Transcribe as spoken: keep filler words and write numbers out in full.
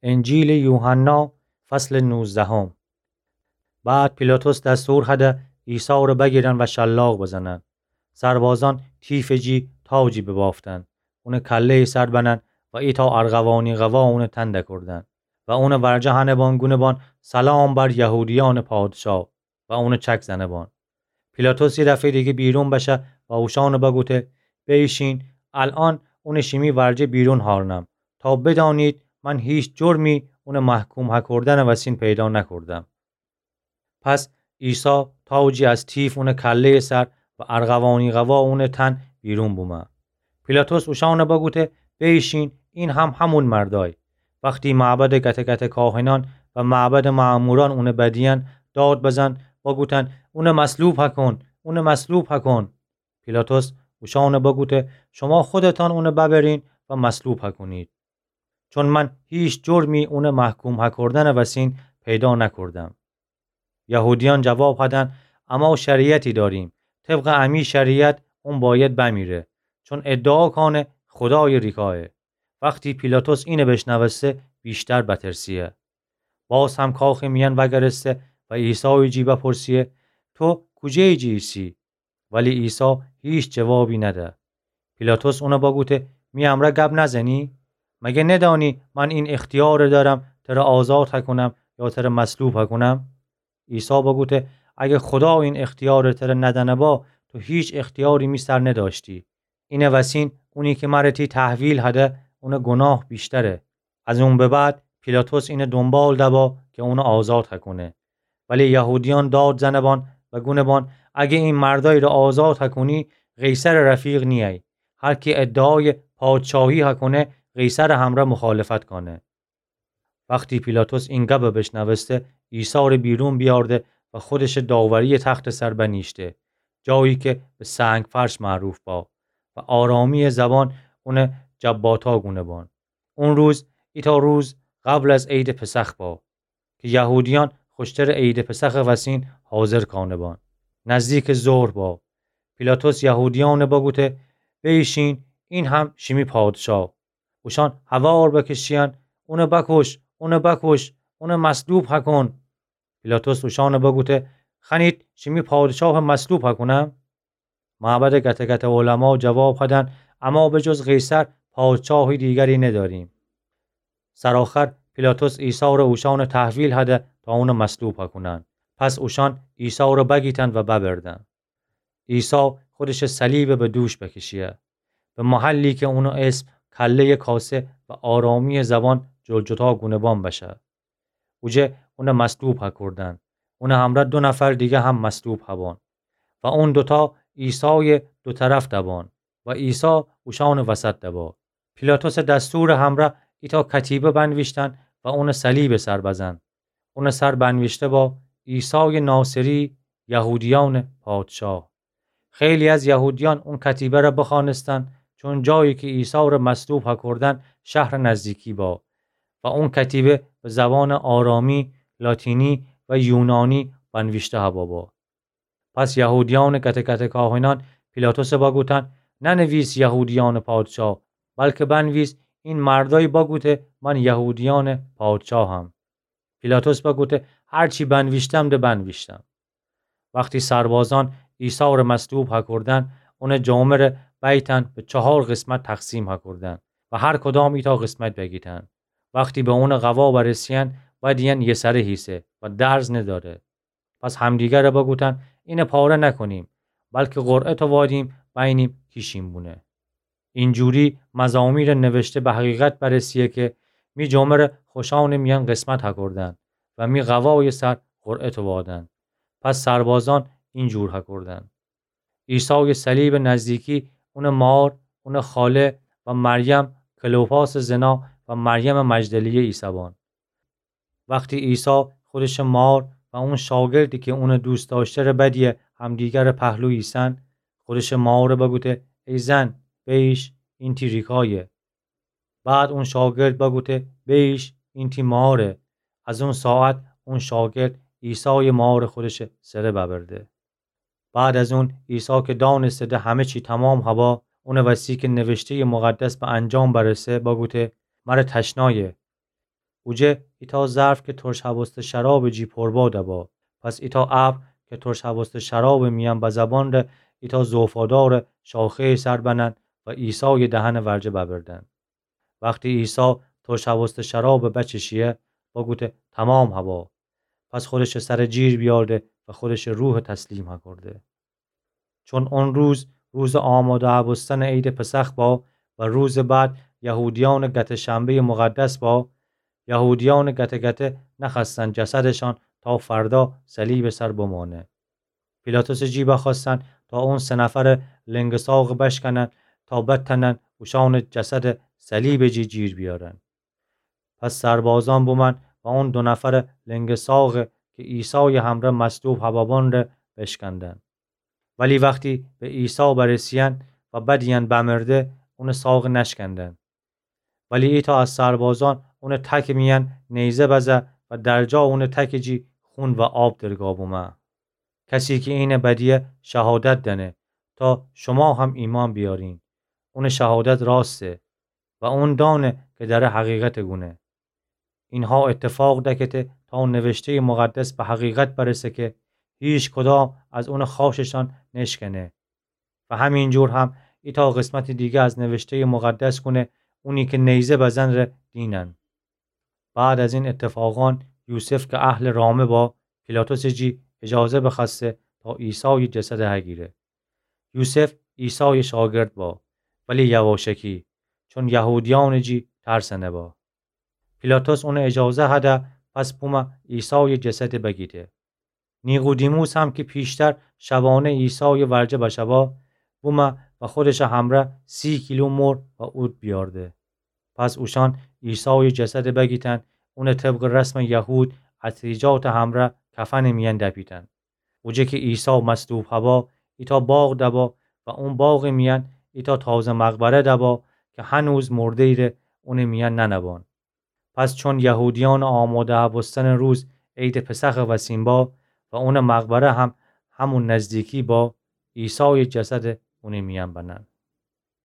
انجیلٚ یوحنا، فصلٚ نوزدهم. بعد پیلاطس دستور هده عیسی ره بگیرن و شلاق بزنن. سربازأن تیفٚ جی تاجی ببافتن، اونٚ کله‌یٚ سر بنن و ایتأ ارغوانی قوا اونٚ تن دکردن و اونٚ ورجه هنه بان گونه بان: سلام بر یهودیأنٚ پادشاه. و اونٚ چک زنه بان. پیلاطس یه دفعه‌یٚ دیگه بیرون بشه و اوشأن بگوته: بیشین، الأن اونٚ شیمی ورجه بیرون هارنم، تا بدانید من هیچ جرمی اونٚ محکوم هکردنٚ وسین پیدا نکردم. پس عیسی تاجی از تیف اونٚ کله‌یٚ سر و ارغوانی قوا اونٚ تن بیرون بومه. پیلاطس اوشأن بگوته: بیشین، این هم همون مردای. وختی معبدٚ گته گته کاهنأن و معبدٚ مأمورأن اون بدیئن، داد بزن، بگوتن: اون مصلوب هکن، اون مصلوب هکن. پیلاطس اوشأن بگوته: شما خودتأن اون ببرین و مصلوب هکنید، چون من هیچ جرمی اون محکوم هکردنٚ وسین پیدا نکردم. یهودیأن جواب هدن: اما شریعتی داریم، طبقٚ امی شریعت اون باید بمیره، چون ادعا کانه خودایٚ ریکایه. وختی پیلاطس اینه بشنوسته، ویشتر بترسیه. باز هم کاخٚ میأن وگرسته و عیسایٚ جی بپرسیه: تو کوجه‌یٚ جی ایسی؟ ولی عیسی هیچ جوابی نده. پیلاطس اون بگوته: می امرأ گب نزنی؟ مگه ندانی من این اختیار دأرم تر آزاد هکنم یا تر مصلوب هکنم؟ عیسی بگوته: اگه خودا این اختیار تر ندأنه با، تو هیچ اختیاری می سر ندأشتی. اینٚ وسین اونی که مر تی تحویل هده، اونٚ گناه ویشتره. از اون به بعد پیلاطس اینٚ دونبال دبا که اون آزاد هکنه. ولی یهودیأن داد زنه بان و گونه بان: اگه این مردای ره آزاد هکنی، قیصرٚ رفیق نیی. هر کی ادعایٚ پادشاهی هکنه، قیصرٚ همرأ مخالفت کانه. وختی پیلاطس این گب بشنوسته، عیسی ره بیرون بیأرده و خودش داوریٚ تختٚ سر بنیشته، جایی که به سنگ‌فرش معروف با و آرامیٚ زبان اون جباتا گونه بان. اون روز ایتأ روز قبل از عیدٚ پسخ با که یهودیأن خوشترٚ عیدٚ پسخٚ وسین حاضر کانه بان. نزدیکٚ ظهر با. پیلاطس یهودیأن بگوته: بیشین، این هم شیمی پادشاه. اوشأن هوار بکشیأن: اون بکش، اون بکش، اون مصلوب هکن. پیلاطس اوشأن بگوته: خوأنید شیمی پادشاه مصلوب هکنم؟ معبدٚ گته گته علما جواب هدن: اما به جز قیصر پادشاهی دیگری نداریم. سرآخر پیلاطس عیسی ره اوشأن تحویل هده تا اون مصلوب هکنن. پس اوشأن عیسی ره بگیتن و ببردن. عیسی خودش صلیب به دوش بکشیه، به محلی که اونٚ اسم کله‌یٚ کاسه و آرامیٚ زبان جلجتا گونه بان بشه. اوجه اون مصلوب هکردن. اونٚ همرأ دو نفر دیگه هم مصلوب هبان و اون دوتا عیسایٚ دو طرف دبان و عیسی اوشأنٚ وسط دبا. پیلاطسٚ دستورٚ همرأ ایتأ کتیبه بنویشتن و اونٚ صلیبٚ سر بزن. اونٚ سر بنویشته با: عیسایٚ ناصری، یهودیأنٚ پادشاه. خیلی از یهودیأن اون کتیبه ره بخوأنستن، چون جایی که عیسی ره مصلوب هکردن شهرٚ نزدیکی با و اون کتیبه به زبانٚ آرامی، لاتینی و یونانی بنویشته هبا با. پس یهودیأنٚ گته گته کاهنأن پیلاطس بگوتن: ننویس یهودیأنٚ پادشاه، بلکه بنویس: این مردای بگوته من یهودیأنٚ پادشاهم. پیلاطس بگوته: هر چی بنویشتم ده بنویشتم. وختی سربازأن عیسی ره مصلوب هکردن، اونٚ جامه ره بیتن به چهار قسمت تقسیم هکردن و هر کدام ایتأ قسمت بگیتن. وختی به اونٚ قوا برسیأن، بدیأن یه سره هیسه و درز نداره. پس همدیگر ره بگوتن: اینه پاره نکنیم، بلکه قرعه تووادیم، بینیم کی شین بونه. اینجوری مزامیرٚ نوشته به حقیقت برسیه که می جامه ره خوشأنٚ میأن قسمت هکردن و می قوایٚ سر قرعه تووادن. پس سربازأن اینجور هکردن. عیسایٚ صلیبٚ نزدیکی اونٚ مار، اونٚ خاله و مریم کلوپاسٚ زنا و مریمٚ مجدلیه ایسه‌بان. وختی عیسی خودشٚ مار و اون شاگردی که اونٚ دوست دأشته ره بدیه همدیگرٚ پهلو ایسن، خودشٚ مار بگوته: ای زن، بیش، این تی ریکایه. بعد اون شاگرد بگوته: بیش، این تی ماره. از اون ساعت اون شاگرد عیسایٚ مار خودشٚ سره ببرده. بعد از اون عیسی که دانسته ده همه چی تمام هبا، اونٚ وسی که نوشته‌یٚ مقدس به انجام برسه، بگوته: مره تشنایه. اوجه ایتأ ظرف کی ترش هوسته شرابٚ جی پر با دبا. پس ایتأ ابر کی ترش هوسته شرابٚ میأن بزبان ره ایتأ زوفادارٚ شاخه‌یٚ سر بنن و عیسایٚ دهنٚ ورجه ببردن. وختی عیسی ترش هوسته شرابٚ بچشیه، بوگوده: تمام هوا. پس خودشٚ سر جیر بیارده و خودشٚ روح تسلیم هکرده. چون اون روز، روزٚ آماده هبوستنٚ عیدٚ پسخ با و روزٚ بعد یهودیأنٚ گته شنبه‌یٚ مقدس با، یهودیأنٚ گته گته نخوأستن جسدشان تا فردا صلیبٚ سر بمانه. پیلاطسٚ جی بخوأستن تا اون سه نفرٚ لنگٚ ساقٚ بشکنن تا بتأنن اوشأنٚ جسد صلیبٚ جی جیر بیأرن. پس سربازأن بومأن و اون دو نفرٚ لنگٚ ساقٚ کی عیسایٚ همرأ مصلوب هبابان ره بشکندن. ولی وختی به عیسی برسیأن و بدیأن بمرده، اونٚ ساقٚ نشکندن. ولی ایتأ از سربازأن اونٚ تکٚ میأن نیزه بزه و در جا اونٚ تکٚ جی خون و آب درگا بومه. کسی کی اینٚ بدیه شهادت دأنه، تا شوما هم ایمأن بیأرین، اونٚ شهادت راسته و اون دأنه کی دأره حقیقتٚ گونه. اینها ایتفاق دکته تا نوشته‌یٚ مقدس به حقیقت برسه کی هیکدام از اونٚ خأششأن نشکنه. و همینجور هم ایتأ قسمتٚ دیگه از نوشته‌یٚ مقدس گونه اونی کی نیزه بزن ره دینن. بعد از این ایتفاقأن یوسف کی اهلٚ رامه با، پیلاطسٚ جی اجازه بخوأسته تا عیسایٚ جسد هگیره. یوسف عیسایٚ شاگرد با، ولی یواشکی، چون یهودیأنٚ جی ترسنه با. پیلاطس اونٚ اجازه هده، پس بومه عیسایٚ جسد بگیده. نیقودیموس هم کی پیشتر شبانه عیسایٚ ورجه بشبا، بومه و خودشٚ همرأ سی کیلو مر و عود بیأرده. پس اوشأن عیسایٚ جسد بگیتن، اونٚ طبقٚ رسمٚ یهود عطریجاتٚ همرأ کفنٚ میأن دپیتن. اوجه کی عیسی مصلوب هبا، ایتأ باغ دبا و اون باغٚ میأن ایتأ تازه مقبره دبا کی هنوز مرده‌یی ره اونٚ میأن ننبأن. پس چون یهودیأنٚ آماده هبوستنٚ روز عیدٚ پسخٚ وسیم با و اونٚ مقبره هم همون نزدیکی با، عیسایٚ جسد اونٚ میأن بنن.